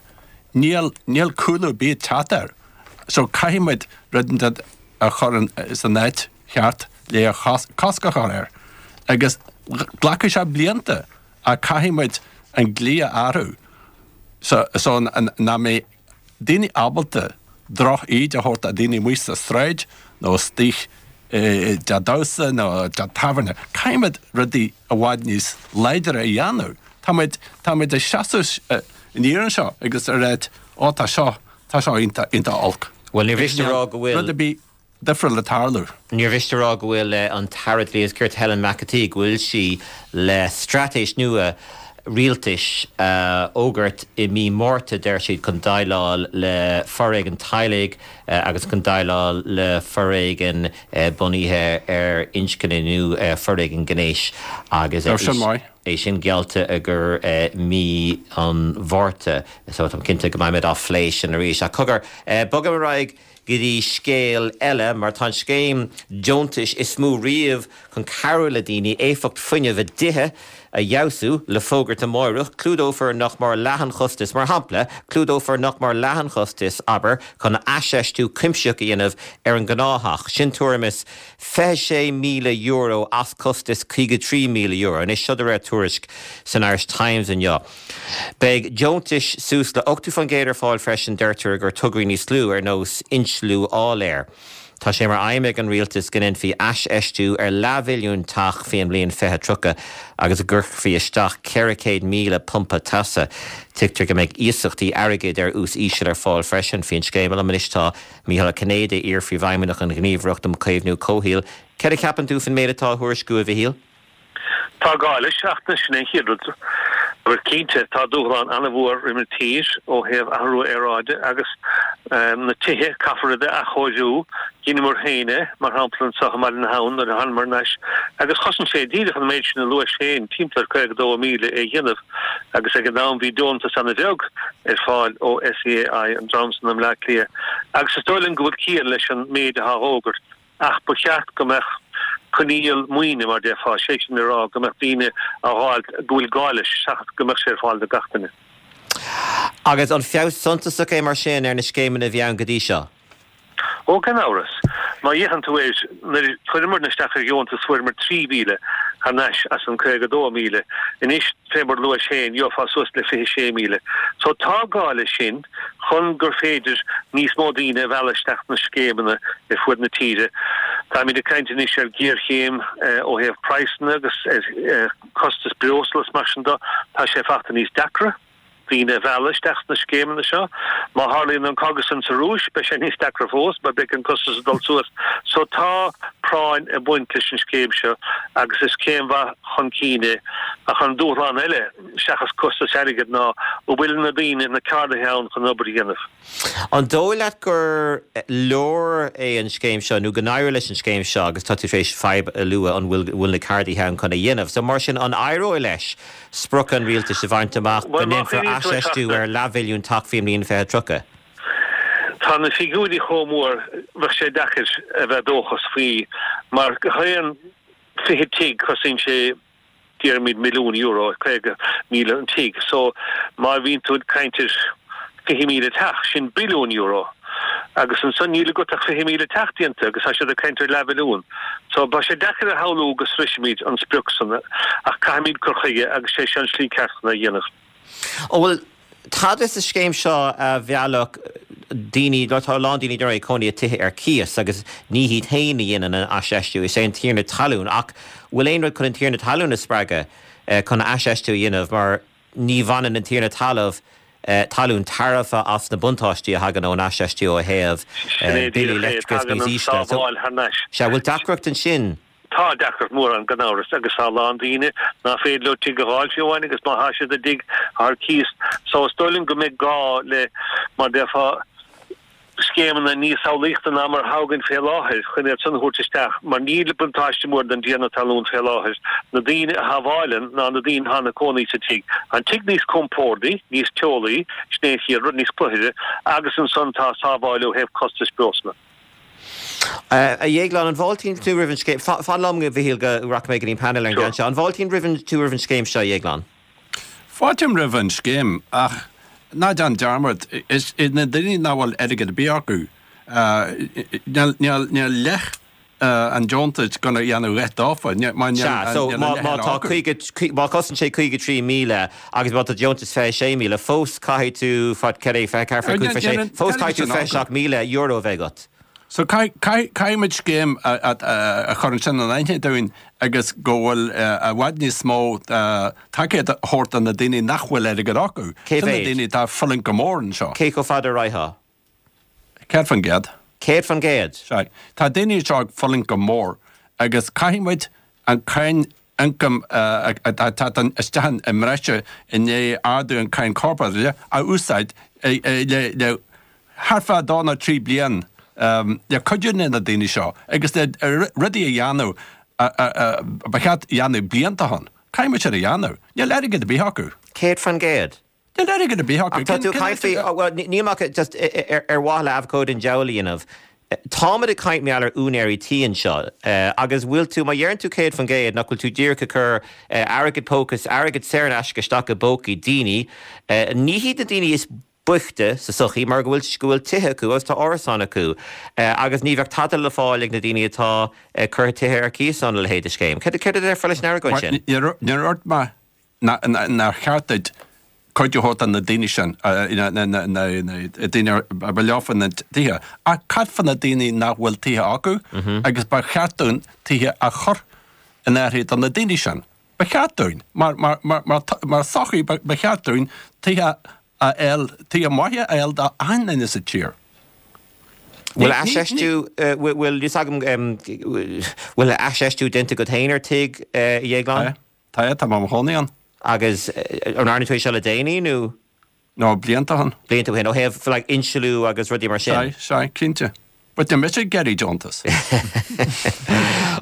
Níl níl cúlú ar bith ag teacht air. So caithfidh muid rud inteacht a chur san áit cheart le cosc a chur air. Agus glacfaidh sé blianta ach caithfidh muid an dlí a athrú so so nach mbeidh daoine ábalta droch-íde a thabhairt do dhaoine amuigh sa tsráid nó istigh i dteach damhsa nó i dteach tábhairne. Caithfidh muid rudaí i bhfad níos láidre a dhéanamh. Tá muid, tá muid ag seasamh aniar anseo agus ag ráit, ó tá seo, tá seo iontach, iontach olc. Bhuel, níor mhiste a rá go bhfuil. Rud ar bith difriúil ag tarlú. Níor mhiste a rá go bhfuil an tAire Dlí agus Cirt Helen McEntee, go bhfuil sí le straitéis nua rialtais a fhógairt i mí Márta, deir siad, chun déileáil le foréigean teaghlaigh agus chun déileáil le foréigean bunaithe ar inscne nó foréigean gnéis agus é sin geallta i gcomhair mí an Mhárta. So táim cinnte go mbeimid á phlé sin arís. Ach cogar, bogaim ar aghaidh go dtí scéal eile, mar tá an scéim deontais is mó riamh chun cabhrú le daoine éifeacht fuinnimh a dtithe a fheabhsú le fógairt amáireach. Clúdófar nach mór leath an chostais, mar shampla, clúdófar nach mór leath an chostais, abair, chun aisfheistiú cuimsitheach a dhéanamh ar an ngnáththeach. Sin tuairim is fiche sé míle euro as costas caoga trí míle euro. Anois, seo de réir tuairisc san Irish Times inniu. Beidh deontais suas le ochtó faoin gcéad ar fáil freisin, deirtear, i gcomhair tograí níos lú, ar nós insliú áiléir. Tá sé mar aidhm ag an rialtas go ndéanfaí aisfheistiú ar leathmhilliún teach faoin mbliain fiche tríocha agus go gcuirfí isteach ceithre chéad míle pumpa teasa. Tuigtear go mbeidh iasachtaí airgid ar ús íseal ar fáil freisin faoin scéim. Liom anois tá Mícheál Ó Cinnéide, iar-phríomhfheidhmeannach an Ghníomhaireacht um Chaomhnú Comhshaoil. Céard a cheapann tú faoin méid atá á thuairisciú, a Mhichíl? Tá gá leis, ach sin é an chéad rud. Agus cinnte, tá dúshlán an-mhór roimh an tír ó thaobh athrú aeráide agus na tithe, caithfear iad a athchóiriú. Dheineamar féin é, mar shampla, anseo i mBaile na hAbhann nuair a thánamar thar n-ais agus chosain sé díreach an méid sin a luais féin, timpeall ar caoga dó míle é a dhéanamh agus ag an am bhí deontas an-bheag ar fáil ó SEAI, an dream san i mBleá Cliath. Agus is dóigh liom go bhfuil ciall leis an méid atá á fhógairt. Ach ba cheart go mbeadh coinníoll maoine, mar déarfá, sé sin le rá go mbeadh daoine á fháil go bhfuil gá leis seachas go mbeadh sé ar fáil do gach duine. Agus an feabhas suntasach é mar sin ar na scéimeanna a bhí ann go dtí seo? Ó, gan amhras. Má fhéachann tú air, nuair a chuireamarna isteach ar dheontas fuaireamar trí mhíle thar n-ais as an caoga dó míle. Anois, fé mar a luais féin, gheofá suas le fiche sé míle. So tá gá leis sin. chun gur féidir níos mó daoine a mhealladh isteach sna scéimeanna ar fuaid na tíre. Táimid ag caint anois ar ghéarchéim ó thaobh praghsanna agus ar chostas breosla is mar sin de. Tá sé fachta níos deacra daoine a mhealladh isteach sna scéimeanna seo. Má tharlaíonn an cogadh san sa Rúis, beidh sé níos deacra fós mar beidh an costas ag dul suas. So tá práinn ag baint leis an scéim seo agus is céim mhaith chun cinn é. Ach an dúshlán eile, seachas costas airgid ná an bhfuil na daoine, na ceardaithe ann chun an obair a dhéanamh. An dóigh leat gur leor é an scéim seo nó go n-éireoidh leis an scéim seo agus tá tú tar éis fadhb a lua an bhfuil bhfuil na ceardaithe ann chun é dhéanamh. So mar sin an éireoidh leis sprioc an rialtais a bhaint amach go Bhuel má ndéanfar chuimhníonn tú ar aisfheistiú trasna. ar leathmhilliún teach faoin mbliain fiche tríocha? Tá na figiúirí chomh mór bheadh sé deacair a bheith dóchasach faoi mar chaon fiche tigh cosaíonn sé déarfaimid milliún euro, caoga míle an tigh. So má bhíonn tú ag caint ar fiche míle teach, sin billiún euro. Agus ansan níl agat ach fiche míle teach déanta agus tá siad ag caint ar leathmhilliún. So tá sé deacair a shamhlú go sroisfimid an sprioc san ach caithfimid cur chuige agus sé seo an slí ceart chun é a dhéanamh. An bhfuil tada sa scéim seo a mheallfadh daoine, tá a lán daoine dáiríre ag cónaí i dtithe ar cíos agus ní hiad féin a dhéanann an aisfheistiú, is é an tiarna talún, ach bhfuil aon rud chun an tiarna talún a spreagadh chun aisfheistiú a dhéanamh mar ní bhaineann an tiarna talamh talún tairbhe as na buntáistí a thagann ón aisfheistiú ó thaobh Sin é billí díreach é, leictreachais tagann níos an ísle. So, sábháil thar n-ais. sea, bhfuil deacracht ansin? Tá deacracht mhór ann gan amhras agus tá a lán daoine ná féidir leo tigh a dh'fháil fiú amháin agus má thá siad i dtigh ar cíos. So is dóigh liom go mbeidh gá le, mar déarfá, scéimeanna níos samhlaíochta ná mar atá againn fé láthair chun iad san a thabhairt isteach, mar níl buntáiste mór don dtiarna talún fé láthair, na daoine a shábháileann ná na daoine atá ina cónaí sa tigh. Tá an tigh níos compórdaí, níos teolaí, sin é an chéad rud, níos cluthaire, agus ansan tá sábháil ó thaobh costais breosla. A Dhéagláin, an bhfáiltíonn tú roimh an scéim, fan liom, a Mhichíl, go rachaidh mé go dtí an painéal ar an gceann seo, an bhfáiltíonn tú roimh an scéim seo, a Dhéagláin? Fáiltím roimh an scéim ach ná déan dearmad, is iad na daoine nach bhfuil airgead ar bith acu, níl leath an deontais gonna dhéanamh a dhath dófa, mar níl Sea, so an má leath eile tá acu. caoga, má chosain sé caoga trí míle agus má tá deontas fiche sé míle, fós caithfidh tú, fad, cad é, fiche ceathair, fiche cúig, fiche sé, fós caithfidh tú fiche seacht míle euro a bheith agat. So caithfimid scéim a chur ansin in aithne dúinn agus go bhfuil i bhfad níos mó tacaíocht a thabhairt do na daoine nach bhfuil airgead acu. Cé Sin na mhéad? daoine atá ag fulaingt go mór anseo. Cé chomh fada a raghadh? Céad faoin gcéad. Céad faoin gcéad? Sea. Tá daoine anseo ag fulaingt go mór agus caithfimid an cáin ioncaim atá ag teacht isteach i mbreise i ndiaidh ardú an cáin corparáide a úsáid le thart fá dó nó trí bliain le cuidiú le na daoine seo agus le rudaí a dhéanamh ba cheart a dhéanamh blianta ó shin. Caithfidh muid sin a dhéanamh. Níl airgead ar bith acu. Céad faoin gcéad. Níl airgead ar bith acu. Ach tá tú ag caint faoi, bhuel, níl ach just ar mhaithe le abhcóide an diabhail a dhéanamh. Táimid ag caint mar gheall ar úinéirí tí anseo agus bhfuil tú, má dheireann tú céad faoin gcéad, nach bhfuil tú díreach ag cur airgead póca, airgead saor in aisce isteach i bpócaí daoine. Ní hiad na daoine is boichte sa tsochaí mar go bhfuil go bhfuil tithe acu agus tá árasáin acu agus ní bheadh tada le fáil ag na daoine atá ag cur tithe ar cíos óna leithéid de scéim. Céard céard a déarfá leis an argóint sin? Níor dhúirt mé nár cheart duit cuidiú a thabhairt do na daoine sin, na daoine a ba leofa na tithe, ach cad fá na daoine nach bhfuil tithe acu agus ba cheart dúinn tithe a chur in áirithe do na daoine sin. Ba cheart dúinn, mar mar mar mar sochaí ba cheart dúinn tithe a fháil, tithe maithe a fháil do achan duine sa tír. Bhfuil aisfheistiú, bhfuil fhios agam, bhfuil aisfheistiú déanta agat féin ar tigh, a Dhéagláin? Tá, tá, tá mé i mo chónaí ann. Agus an ndearna tú é seo le déanaí nó? No, blianta ó shin. Blianta ó shin, ó thaobh like insliú agus rudaí mar sin? Sea, sea, cinnte. But níl mise ag iarraidh deontas.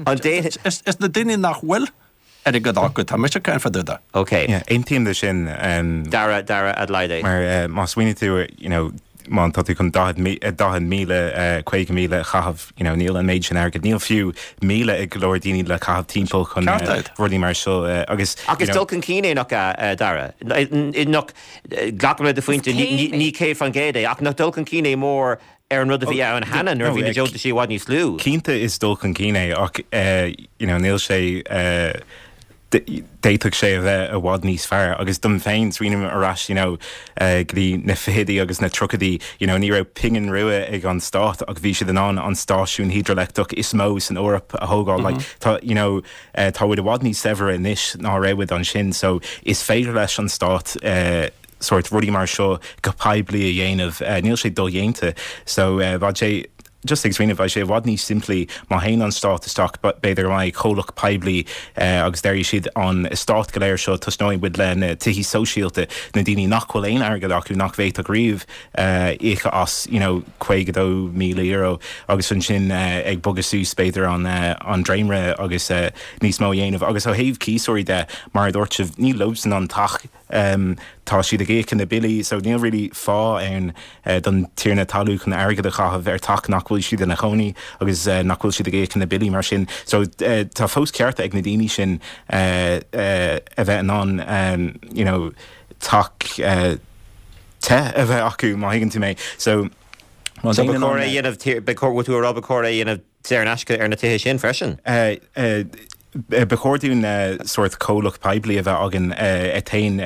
An dé. Is na daoine nach bhfuil airgead acu, tá mise ag caint fá dtaobh de. Ok. Yeah, aontaím le sin. Dara, Dara Adelaide. Mar má smaoiníonn tú, you know, má tá tú chun daichead míle, caoga míle a chaitheamh, you know, níl an méid sin airgid, níl fiú míle ag go leor daoine le caitheamh timpeall chun rudaí mar seo agus, Ach is dul chun cinn é nach ea, Dara? Nach, glacaim le do phointe, ní céad faoin gcéad é, ach nach dul chun cinn é mór ar an rud a bhí ann cheana nuair a bhí na deontaisí i bhfad níos lú? Cinnte is dul chun cinn é ach, you know, níl sé, d'fhéadfadh sé a bheith i bhfad níos fearr agus dom féin, smaoiním ar ais you know go dtí na fichidí agus na tríochaidí, you know ní raibh pingin rua ag an stát ach bhí siad in ann an stáisiún hidrileictreach is mó san Eoraip a thógáil like tá you know tá muid i bhfad níos saibhre anois ná a raibh muid ansin so is féidir leis an stát sórt rudaí mar seo go poiblí a dhéanamh níl sé dodhéanta so bheadh sé Just ag smaoineamh, bheadh sé i bhfad níos simplí má théann an stát isteach, b'fhéidir go mbeidh comhlacht poiblí agus déarfaidh siad an eastát go léir seo, tosnóidh muid le na tithí sóisialta, na daoine nach bhfuil aon airgead acu, nach bhféadfadh riamh íoc as you know caoga dó míle euro agus ansin ag bogadh suas b'fhéidir an an dréimire agus níos mó a dhéanamh. Agus ó thaobh cíosóirí de, mar a dúirt sibh, ní leosan an teach. Tá siad ag íoc na billí so níl really fáth ann don tiarna talún chun airgead a chaitheamh ar teach nach bhfuil siad ina chónaí agus nach bhfuil siad ag íoc na billí mar sin. So tá fós cearta ag na daoine sin a bheith in ann you know teach te a bheith acu má thuigeann tú mé. So má So ba chóir é a dhéanamh, ba chóir, bhfuil tú a rá ba chóir é a dhéanamh saor in aisce ar na tithe sin freisin? Ba chóir dúinn sórt comhlacht poiblí a bheith againn a théann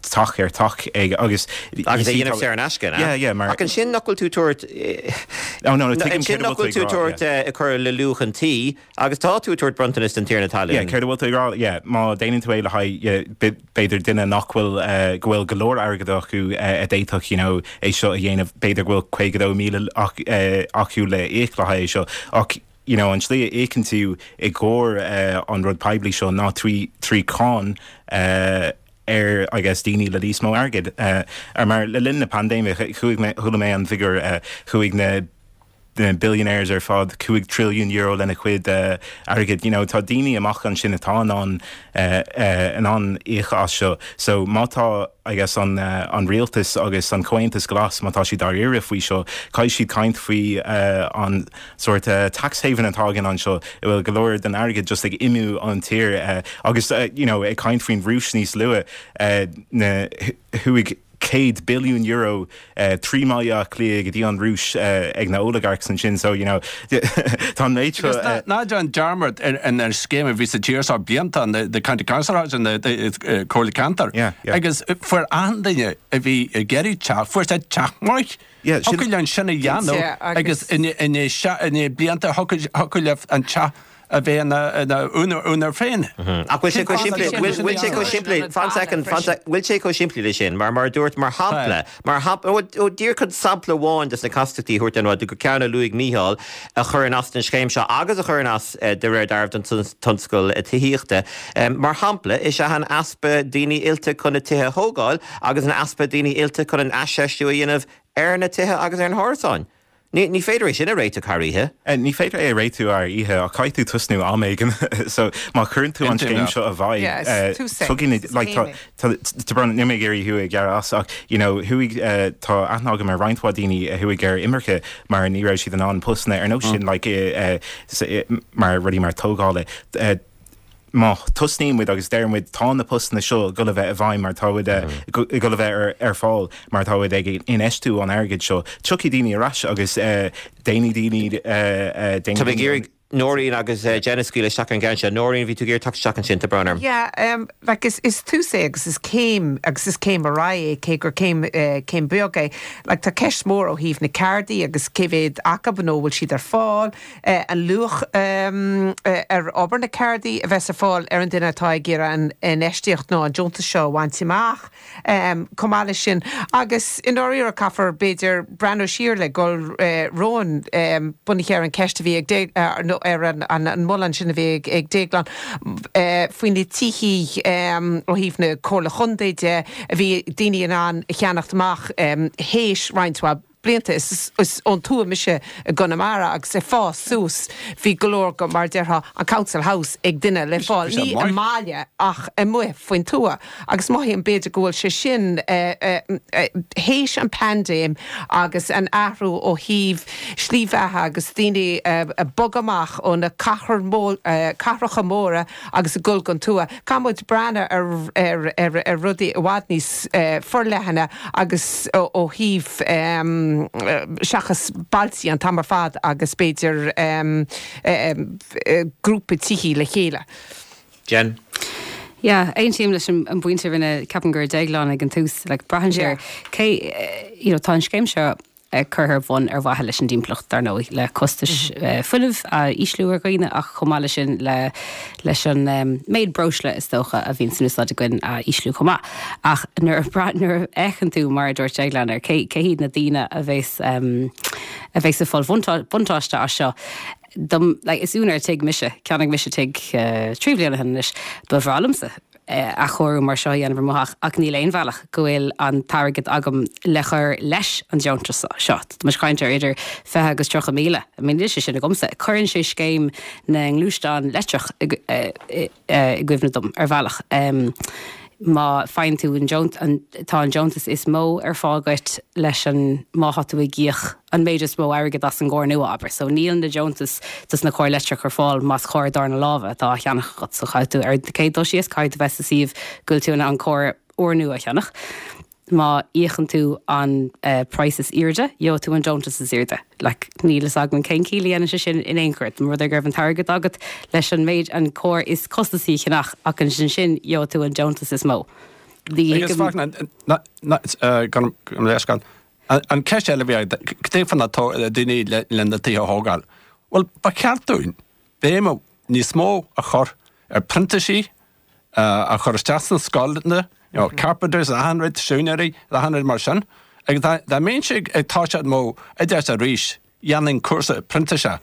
teach ar teach ag agus Agus é dhéanamh saor in aisce, Yeah, yeah, mar. Ach ansin nach bhfuil tú tabhairt Oh no, no, tuigim ansin céard a nach bhfuil bhfuil tú tú ag rá, tabhairt yeah. ag cur le luach an tí agus tá tú ag tabhairt bronntanas don tiarna talún. Yeah, céard a bhfuil tú ag rá, yeah, má déanann tú é le haghaidh, yeah, b'fhéidir duine nach bhfuil, go bhfuil go leor airgead acu a d'fhéadfadh, you know, é seo a dhéanamh, b'fhéidir go bhfuil caoga dó míle acu le íoc le haghaidh é seo ach, you know, an tslí a íocann tú i gcomhair an rud poiblí seo ná trí trí cáin ar I guess daoine le níos mó airgid uh, ar mar le linn na paindéime chuaigh mé chuala mé an figiúr uh, chuaigh na na billionaires ar fad cúig trilliún euro lena chuid uh, airgid you know tá daoine amach ansin atá in ann uh, uh, in ann íoc as seo so má tá I guess an uh, an rialtas agus an Comhaontas Glas má tá siad dáiríre faoi seo caithfidh siad caint faoi uh, an sort uh, tax haven atá againn anseo i bhfuil go leor den airgead just ag imeacht ón tír uh, agus uh, you know ag caint faoin Rúis níos luaithe uh, na chuaigh céad billiún euro uh, trí Bhaile Átha Cliath go dtí an Rúis uh, ag na oligarchs ansin so you know tá méid Agus ná ná déan dearmad ar an ar scéim a bhí sa tír seo blianta an the, the county council house and the, the uh, Comhairle Ceantair. Yeah, yeah. Agus fuair an duine a bhí ag iarraidh teach, fuair sé teach maith. Yeah, sin- Thiocfadh an sin a dhéanamh Yeah, agus- agus ina blianta thiocfadh le an teach a bheith ina ina úinéir féin. Ach bhfuil sé chomh simplí bhfuil bhfuil sé chomh simplí fan second fan sec bhfuil sé chomh simplí le sin mar mar dúirt mar shampla mar shampla díreach chun sampla amháin des na castachtaí thuirt an rud go ceann a luaigh Mícheál a chuireann as an scéim seo agus a chuireann as de réir dealraimh don tionscal tithíochta. Mar shampla is ea an easpa daoine oilte chun na tithe a thógáil agus an easpa daoine oilte chun an aisfheistiú a dhéanamh ar na tithe agus ar na hárasáin. Ní ní féidir é sin a réiteach thar oíche. Uh, ní féidir é réiteach ar oíche ach caithfidh tú tosnú am éigin so má chuireann tú an scéim seo i bhfeidhm like ní mé géirí thu ag gear as ach you know chuaigh uh, tá aithne agam ar roinnt mhaith daoine a chuaigh ar imirce mar ní raibh siad in ann postanna ar nós sin like uh, uh, mar rudaí mar tógála uh, má tosnaíonn muid agus deir muid tá na postanna seo go bheith i bhfeidhm mar tá go bheith ar, ar fáil mar tá ag infheistiú an airgead seo. Tiocfaidh daoine ar ais agus déanfaidh daoine Tá mé ag iarraidh Nóirín agus Jenna scaoileadh isteach an gceann seo. Nóirín bhí tú ag teacht isteach ansin tá brón orm. Yeah, um, like is, is tús é agus is céim agus is céim ar aghaidh é cé gur céim uh, céim beag é. Like tá ceist mór ó thaobh na cártaí agus cé mhéad acu nó bhfuil siad ar fáil uh, an luach um, uh, ar obair na cártaí a bheas ar fáil ar an duine atá ag iarraidh an infheistíocht nó an deontas seo a bhaint amach um, chomh maith leis sin agus i ndáiríre caithfear b'fhéidir breathnú siar le gol uh, romhainn um, bunaithe ar an ceist a bhí ag dé, uh, nó ar an, an, an moladh sin a bhí ag, ag Déaglán uh, faoi na tithe um, ó thaobh na Comhairle Contae de a bhí daoine in ann a cheannacht amach um, théis roinnt mhaith blianta is, is ón tuath mise i gConamara agus ag fás suas bhí go leor go mar déarfá an council house ag duine le fáil Bhí sé ní maith. i mbaile ach amuigh faoin tuath agus mothaím b'fhéidir go bhfuil sé sin théis an paindéim agus an athrú ó thaobh slí bheatha agus daoine ag bogadh amach ó na cathair cathracha móra agus ag dul gon tuath. Caithfidh muid breathnú ar, ar, ar, ar rudaí i bhfad níos forleithne agus ó thaobh um, seachas bailte an t-am ar fad agus b'fhéidir um, um, grúpa tithe le chéile. Jen? Yeah, aontaím leis an an bpointe rinne ceapaim gur Déaglán ag an tús le braitheann sé cé you know, tá an scéim seo curtha ar bun ar mhaithe leis an dtimpeallacht dar ndóigh le costais uh, fuinnimh a ísliú ar dhaoine ach chomh maith leis sin le leis an um, méid breosla is dócha a bhíonn san úsáid againn a ísliú chomh maith. Ach nuair nuair a fhéachann tú mar a dúirt Déaglán ar cé cé hiad na daoine a bheas um, a bheas ag fáil buntáiste as seo. Dom, like, is úinéir tigh mise cheannaigh mise tigh uh, trí bliana anois ba bhreá liomsa athchóiriú mar seo dhéanamh ar mo theach ach níl aon bhealach go bhfuil an t-airgead agam le chur leis an deontas seo. Tá caint ar idir fiche agus tríocha míle. I mean sé sin agamsa. Cuireann sé scéim na ngluaisteán leictreach i gcuimhne dom ar bhealach. Um, má faigheann tú an deont an tá an deontas is mó ar fáil duit leis an má tá tú ag íoc an méid is mó airgead as an gcarr nua abair. So níl na deontas dos na cairr leictreach ar fáil más carr darna láimhe atá á cheannach agat so caithfidh tú ar céad dul síos caithfidh tú bheith sa suíomh go bhfuil tú in ann carr úrnua a cheannach. Má íocann tú an uh, price is airde, gheobhaidh tú an deontas is airde. Like, níl a fhios agam cén chiall a dhéanann sé sin in aon chor, rud é go raibh an t-airgead agat leis an méid an carr is costasaí a cheannach ach an sin sin gheobhaidh tú an deontas is mó. Agus leis an ceist eile bhí cad é faoi na daoine le na tithe a thógáil. Well ba cheart dúinn béim níos mó a chur ar printisí a chur isteach sna scoileanna, you know, carpenters achan rud siúinéirí achan rud mar sin. Agus dá mbeinnse ag toiseacht mo oideachas arís dhéanfainn cúrsa printíseach.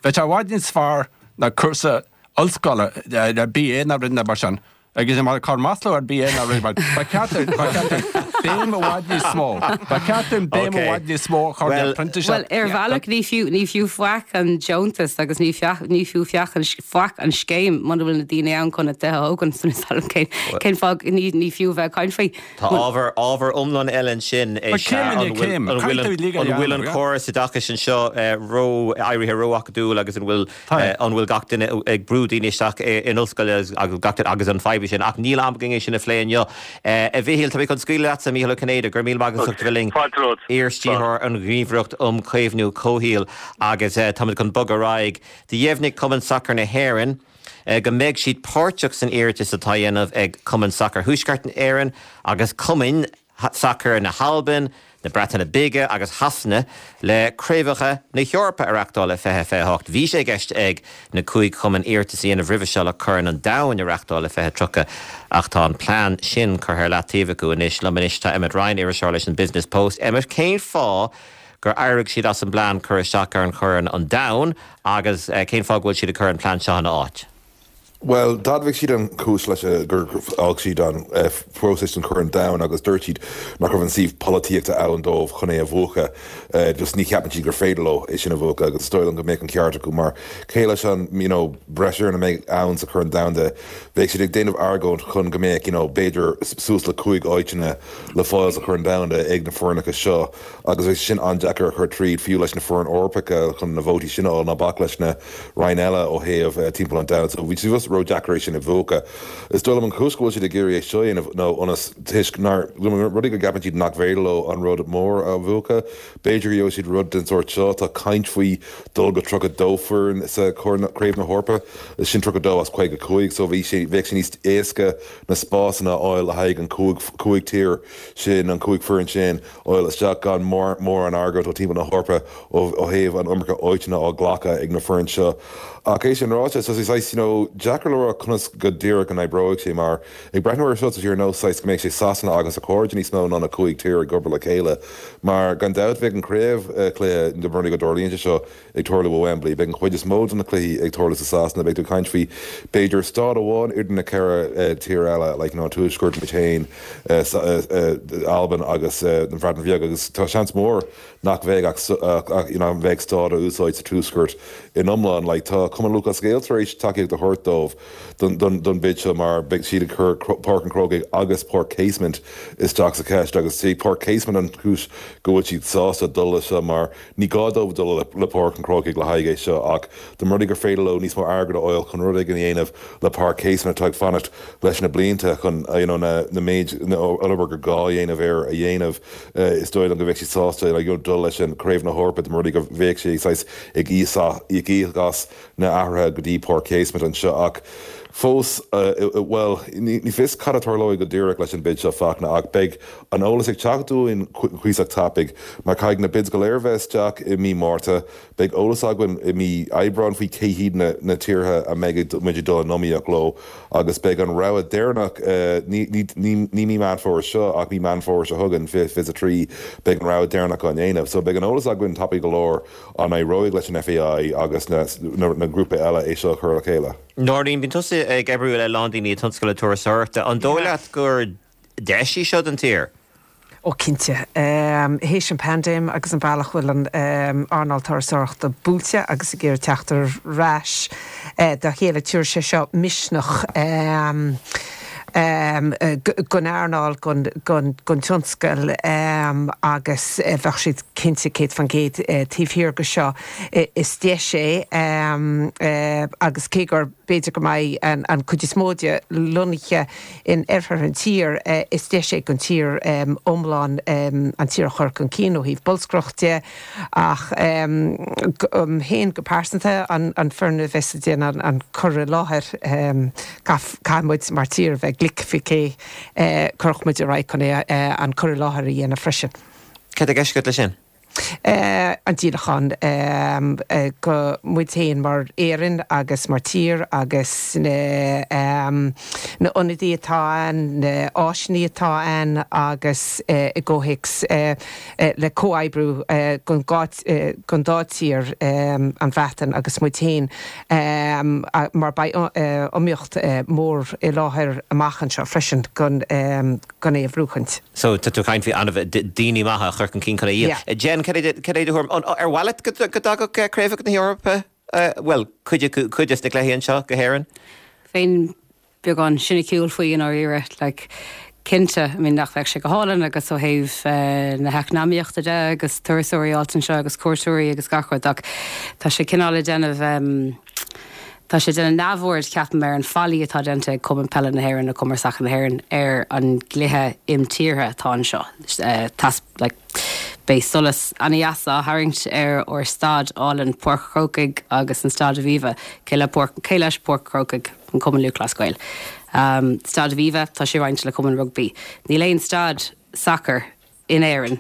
Bheadh sé i bhfad níos fearr ná cúrsa ollscoile le B A ná rud mar sin. Agus mar cur masla ar bith é ná rud mar ba cheart ba cheart béim i bhfad níos mó. Ba cheart dúinn béim i bhfad níos mó a chur ar printíseach. Bhuel, ar bhealach ní fiú ní fiú faic an deontas agus ní fiach ní fiú fiach an faic an scéim muna bhfuil na daoine ann chun na tithe a thógaint so níl cén cén fáth ní ní fiú bheith ag caint faoi. Tá ábhar ábhar iomlán eile ansin Ba is ea céim i an ndiaidh bhfuil céim. an bhfuil Caithfidh tú uilig a an bhfuil an dhéanamh, yeah. córas oideachais anseo ró éirithe ró-acadúil agus an bhfuil Tá. an bhfuil gach duine ag brú daoine isteach in ollscoil agus gach duine agus an fadhb sin ach níl am againn é sin a phlé inniu. A Mhichíl, tá mé chun scaoileadh leatsa, Mícheál Ó Cinnéide, go raibh míle maith agat as ucht a bheith linn. Fáilte romhat. Iar-stiúrthóir an Ghníomhaireacht um Chaomhnú Comhshaoil agus táimid chun bogadh ar aghaidh. Do dheimhnigh Cumann Sacair na hÉireann go mbeidh siad páirteach san iarratas atá á dhéanamh ag Cumann Sacair Thuaisceart Éireann agus Cumainn Sacair na hAlban, na Breataine Bige agus Shasana le Craobhacha na hEorpa a reáchtáil i fiche fiche hocht. Bhí sé i gceist ag na cúig chumann iarratas a dhéanamh roimhe seo le Corn an Domhain a reáchtáil i fiche tríocha ach tá an plean sin curtha ar leataobh acu anois. Liom anois tá Emmet Ryan, iriseoir leis an Business Post. Emmet, cén fáth gur éirigh siad as an bplean cur isteach ar an Chorn an Domhain agus cén fáth go bhfuil siad ag cur an plean seo ina áit? Well, d'admhaigh siad an chúis leis gur fhág siad an próiseas don Chorn Domhain agus dúirt siad nach raibh an suíomh polaitíochta ann dóibh chun é a bhuachan. Just ní cheapann siad gur féidir leo é sin a bhuachan agus is dóigh liom go mbeadh an ceart acu mar cé leis an you know, breis foirne a mbeidh ann sa Chorn Domhanda bheadh siad ag déanamh argóint chun go mbeadh you know, b'fhéidir suas le cúig áiteanna le fáil sa Chorn Domhanda ag na foirneacha seo agus bheadh sin an-deacair a chur tríd fiú leis na foirne Eorpacha chun na vótaí sin a fháil ná bac leis na roinn eile ó thaobh timpeall an domhain. So bhí siad just ródheacair é sin a bhuachan. Is dóigh liom an chúis go bhfuil siad ag iarraidh é seo a dhéanamh nó ionas toisc nár rudaí go gceapann siad nach féidir leo an rud mór a bhuachan. B'fhéidir go gheobhaidh siad rud den sórt seo tá caint faoi dul go tríocha dó foireann sa Craobh na hEorpa is sin tríocha dó as caoga cúig so bhí sé bheadh sé níos éasca na spásanna a fháil le haghaidh an cúig cúig tír sin an cúig foireann sin fháil isteach gan mór mór an argóint ó timpeall na hEorpa ó ó thaobh an iomarca áiteanna á glacadh ag na foireann seo. Ach é sin ráite so saghas you know, deacair le rá conas go díreach an oibreoidh sé mar ag breathnú air seo tá sé ar nós saghas go mbeidh sé Sasana agus a cairde níos mó ná na cúig tír ag obair le chéile mar gan dabht bheidh an craobh cluiche de bhrí go dtarlaíonn sé seo ag tarlú ó Wembley beidh an chuid is mó de na cluichí ag tarlú sa Sasana beidh tú caint faoi b'fhéidir staid amháin idir na ceithre tír eile like, you know, Tuaisceart muid féin Albain agus an Bhreatain Bheag agus tá seans mór nach bheidh ach you know, bheidh staid á úsáid sa Tuaisceart in iomlán like, tá Cumann Lúthchleas Gael tar éis tacaíocht a thabhairt dóibh don, don, don bid seo mar beidh siad ag cur Páirc an Chrócaigh agus Páirc Casement isteach sa cheist agus sí Páirc Casement an chúis go bhfuil siad sásta dul leis seo mar ní gá dóibh dul le, le Páirc an Chrócaigh le haghaidh é seo ach de rudaí gur féidir leo níos mó airgead a fháil chun rud éigin a dhéanamh le Páirc Casement atá ag fanacht leis na blianta chun you know, na, na méid na obair gur gá dhéanamh air a dhéanamh uh, is dóigh liom go bheadh siad sásta like, you know, dul leis an Craobh na hEorpa de rudaí go bheadh sé ag íoc as na hathruithe go dtí Páirc Casement anseo ach fós uh, well ní fios cad a tharlóidh go díreach leis an bid seo Fachtna ach beidh an eolas ag teacht dúinn cuíosach tapaidh mar caithfidh na bids go léir bheith isteach i mí Márta beidh eolas againn i mí Aibreán faoi cé hiad na, na tíortha a mbeidh muid dul in iomaíocht leo agus beidh an rogha deireanach uh, ní, ní, ní, ní mí Meán Fómhair seo ach mí Meán Fómhair seo chugainn fiche a trí beidh an rogha deireanach á dhéanamh so beidh an eolas againn tapaidh go leor an éireoidh leis an FAI agus na, na, na grúpa eile é seo chur le chéile. Nóirín bíonn tusa ag oibriú le lán daoine tionscal turasóireachta an dóigh leat gur deis í seo don tír. Ó cinnte. Um, Théis an paindéim agus an bealach bhfuil an um, earnáil turasóireachta buailte agus ag iarraidh teacht ar ais uh, dá chéile tabharfaidh sé seo misneach um, um, don earnáil don, don, don tionscal um, agus uh, bheadh siad cinnte céad faoin gcéad uh, taobh thiar de seo is deis é um, uh, agus cé gur b'fhéidir go mbeidh an, an chuid is mó de lonnaithe in oirthear an tír uh, is deis é don tír um, iomlán um, an tír a chur chun cinn ó thaobh bolscaireachta ach um, um, féin go pearsanta an, an foireann a bheas ag déanamh an, an cur i láthair um, caithfimid mar tír bheith glic faoi cé uh, chuirfimid ar aghaidh chun é uh, an cur i láthair a dhéanamh freisin. Cad é ceist leis sin? An díolachán go muid féin mar Éirinn agus mar tír agus na na ionadaí atá ann, na áiseanna atá ann agus i gcomhthéacs le comhoibriú don don dá tír, an Bhreatain agus muid féin, mar beidh iomaíocht mór i láthair amach anseo freisin don don é a bhuachaint. So tá tú ag caint faoi anamh daoine maithe a chur chun cinn chun é a dhíol. Jen, cad é do thuairim? Ar mhaith leat go dtagadh Craobhacha na hEorpa, bhuel, cuid cuid des na cluichí anseo go hÉirinn? Bheinn beagán siniciúil faoi i ndáiríre. Like, cinnte, I mean, nach bheadh sé go hálainn agus ó thaobh na heacnamaíochta de agus turasóirí a fháilt anseo agus cuairteoirí agus gach rud ach tá sé cineál ag déanamh, Tá sé ag déanamh neamhaird, ceapaim, ar an faillí atá déanta ag Cumann Peile na hÉireann nó Cumann Sacair na hÉireann ar an gcluiche imtíre atá anseo. Like, beidh solas an-deas á tharraingt ar ár staid álainn Páirc an Chrócaigh agus an Staid Aviva. Cé le Páirc, cé leis Páirc an Chrócaigh? An Cumann Lúthchleas Gael. Staid Aviva, tá sé roinnte le Cumann Rugbaí. Níl aon staid sacair in Éirinn,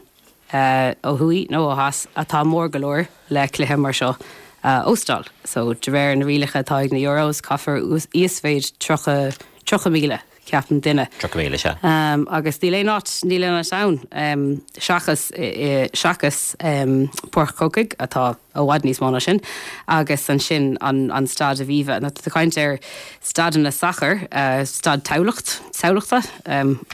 ó thuaidh nó ó theas, atá mór go leor le cluiche mar seo a óstáil. So, de réir na rialacha atá ag na Euros, caithfear íosmhéid tríocha, tríocha míle, ceapaim, duine. Tríocha míle, sea. Agus níl aon áit, níl aon áit ann seachas, seachas Páirc an Chrócaigh, atá i bhfad níos mó ná sin, agus ansin an, an Staid Aviva. Now, tá tú ag caint ar staideanna sacair, Staid Tamhlacht, Tamhlachta,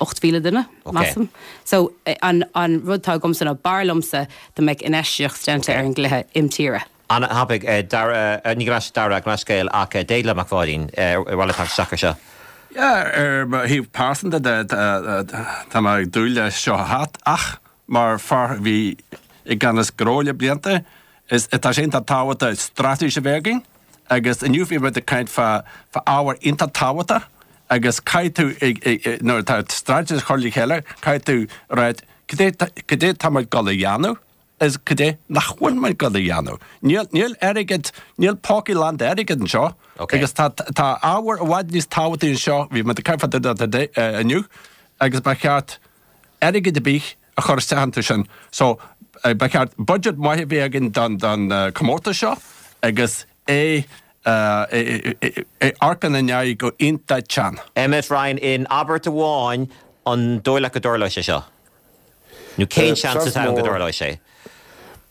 ocht mhíle duine, measaim. So, an, an rud atá agamsa ná b'fhearr liomsa dá mbeadh infheistíocht déanta ar an gcluiche imtíre. An-thapaidh, Dara, ní go leis Dara, go leis Gael, ach Déaglán Mac Pháidín, ar mhaith leat teacht isteach ar seo? Yeah, ar mo thaobh pearsanta de, tá mé ag dúil leis seo a theacht, ach mar fear a bhí i gceannas gnó le blianta, is tá sé iontach tábhachtach straitéis a bheith againn agus inniu bhí muid ag caint fá ábhar iontach tábhachtach agus caithfidh tú ag, nuair atá straitéis á chur le chéile, caithfidh tú ráit cad é, cad é tá muid ag dul a dhéanamh is cad é nach bhfuil muid ag dul a dhéanamh. Níl, níl airgead, níl pócaí lán d'airgead anseo agus tá, tá ábhar i bhfad níos tábhachtaí anseo, bhí muid ag caint fá dtaobh de inniu agus ba cheart airgead ar bith a chur isteach iontu sin. So, ba cheart budget maith a bheith againn don, don comórtas seo agus é, é, é amharc ina ndiaidh go iontach teann. Emmet Ryan, in abairt amháin, an dóigh leat go dtarlóidh sé seo? Nó cén seans atá ann go dtarlóidh sé?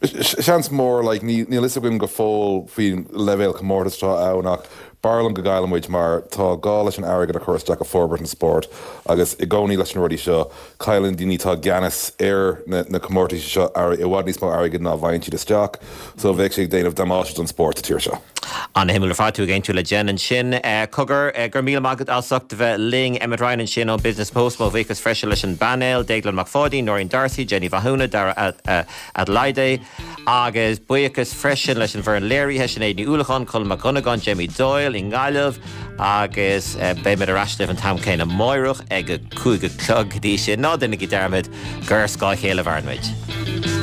Seans mór, like, níl fhios againn go fóill faoin leibhéal comórtais atá ann ach b'fhearr liom go gcaillfidh muid mar tá gá leis an airgead a chur isteach i forbairt an spóirt agus i gcónaí leis na rudaí seo cailleann daoine atá i gceannas ar na comórtais seo i bhfad níos mó airgid ná a bhfaigheann siad isteach so bheadh sé ag déanamh damáiste don spórt sa tír seo. An-shuimiúil ar fad, tú ag aontú le Jen ansin. Cogar, go raibh míle maith agat as ucht a bheith linn. Emmet Ryan ansin ón Business Post. Mo bhuíochas freisin leis an bpainéal, Déaglán Mac Pháidín, Nóirín D'Arcy, Jenny Mhathúna, Dara Adelaide. Agus buíochas freisin leis an bhfoireann léirithe, Sinéad Ní Uallacháin, Colm Mac Dhonnagáin, Jamie Doyle i nGaillimh. Agus beimid ar ais libh an t-am céanna amáireach ag a cúig a chlog. Go dtí sin, ná déanaigí dearmad gur ar scáth a chéile a mhaireann muid.